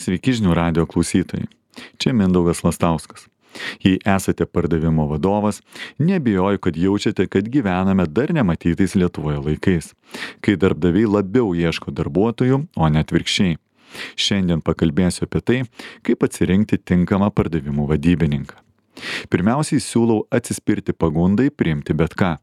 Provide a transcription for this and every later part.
Sveiki žinių radijo klausytojai. Čia Mindaugas Lastauskas. Jei esate pardavimo vadovas, nebijoju, kad jaučiate, kad gyvename dar nematytais Lietuvoje laikais, kai darbdaviai labiau ieško darbuotojų, o ne atvirkščiai. Šiandien pakalbėsiu apie tai, kaip atsirinkti tinkamą pardavimų vadybininką. Pirmiausiai siūlau atsispirti pagundai priimti bet ką.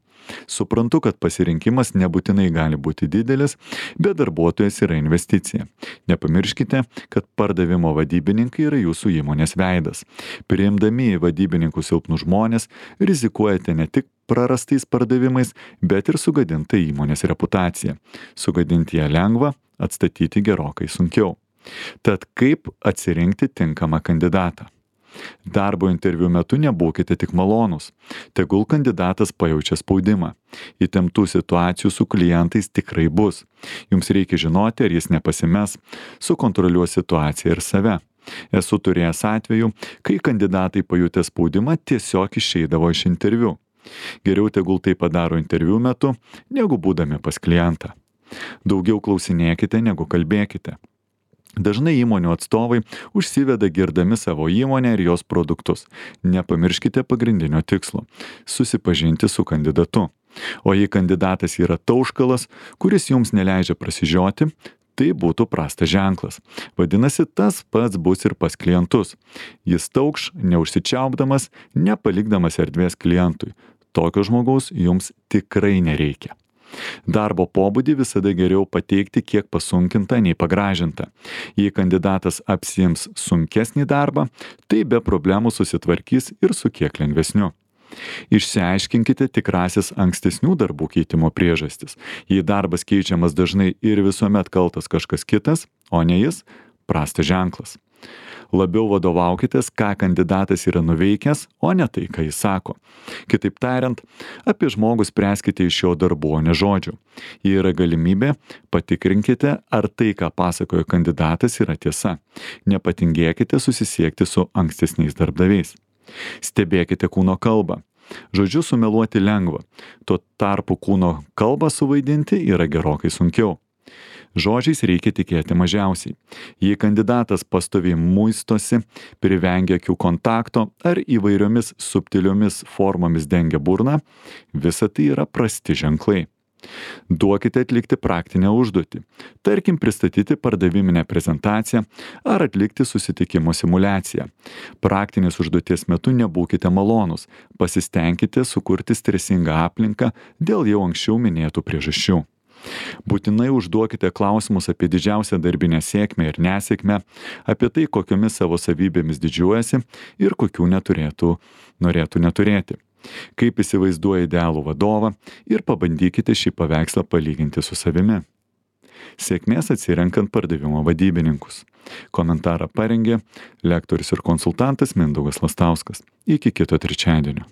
Suprantu, kad pasirinkimas nebūtinai gali būti didelis, bet darbuotojas yra investicija. Nepamirškite, kad pardavimo vadybininkai yra jūsų įmonės veidas. Priimdami į vadybininkus silpnus žmonės, rizikuojate ne tik prarastais pardavimais, bet ir sugadintą įmonės reputaciją. Sugadinti ją lengva, atstatyti gerokai sunkiau. Tad kaip atsirinkti tinkamą kandidatą? Darbo interviu metu nebūkite tik malonūs. Tegul kandidatas pajaučia spaudimą. Įtemptų situacijų su klientais tikrai bus. Jums reikia žinoti, ar jis nepasimes, sukontroliuos situaciją ir save. Esu turėjęs atvejų, kai kandidatai pajutę spaudimą tiesiog išeidavo iš interviu. Geriau tegul tai padaro interviu metu, negu būdami pas klientą. Daugiau klausinėkite, negu kalbėkite. Dažnai įmonių atstovai užsiveda girdami savo įmonę ir jos produktus. Nepamirškite pagrindinio tikslo - susipažinti su kandidatu. O jei kandidatas yra tauškalas, kuris jums neleidžia prasižioti, tai būtų prastas ženklas. Vadinasi, tas pats bus ir pas klientus. Jis taukš, neužsičiaupdamas, nepalikdamas erdvės klientui. Tokio žmogaus jums tikrai nereikia. Darbo pobūdį visada geriau pateikti kiek pasunkintą nei pagražintą. Jei kandidatas apsiims sunkesnį darbą, tai be problemų susitvarkys ir su kiek lengvesniu. Išsiaiškinkite tikrasis ankstesnių darbų keitimo priežastis. Jei darbas keičiamas dažnai ir visuomet kaltas kažkas kitas, o ne jis, prastas ženklas. Labiau vadovaukitės, ką kandidatas yra nuveikęs, o ne tai, ką jis sako. Kitaip tariant, apie žmogų spręskite iš jo darbų, o ne žodžių. Jei yra galimybė, patikrinkite, ar tai, ką pasakojo kandidatas, yra tiesa. Nepatingėkite susisiekti su ankstesniais darbdaviais. Stebėkite kūno kalbą. Žodžiu sumeluoti lengva, tuo tarpu kūno kalbą suvaidinti yra gerokai sunkiau. Žodžiais reikia tikėti mažiausiai. Jei kandidatas pastoviai muistosi, privengia akių kontakto ar įvairiomis subtiliomis formomis dengia burną, visa tai yra prasti ženklai. Duokite atlikti praktinę užduotį. Tarkim, pristatyti pardaviminę prezentaciją ar atlikti susitikimo simuliaciją. Praktinės užduoties metu nebūkite malonūs. Pasistengkite sukurti stresingą aplinką dėl jau anksčiau minėtų priežasčių. Būtinai užduokite klausimus apie didžiausią darbinę sėkmę ir nesėkmę, apie tai, kokiomis savo savybėmis didžiuojasi ir kokių norėtų neturėti. Kaip įsivaizduoja idealų vadovą ir pabandykite šį paveikslą palyginti su savimi. Sėkmės atsirenkant pardavimo vadybininkus. Komentarą parengė lektorius ir konsultantas Mindaugas Lastauskas. Iki kito trečiadienio.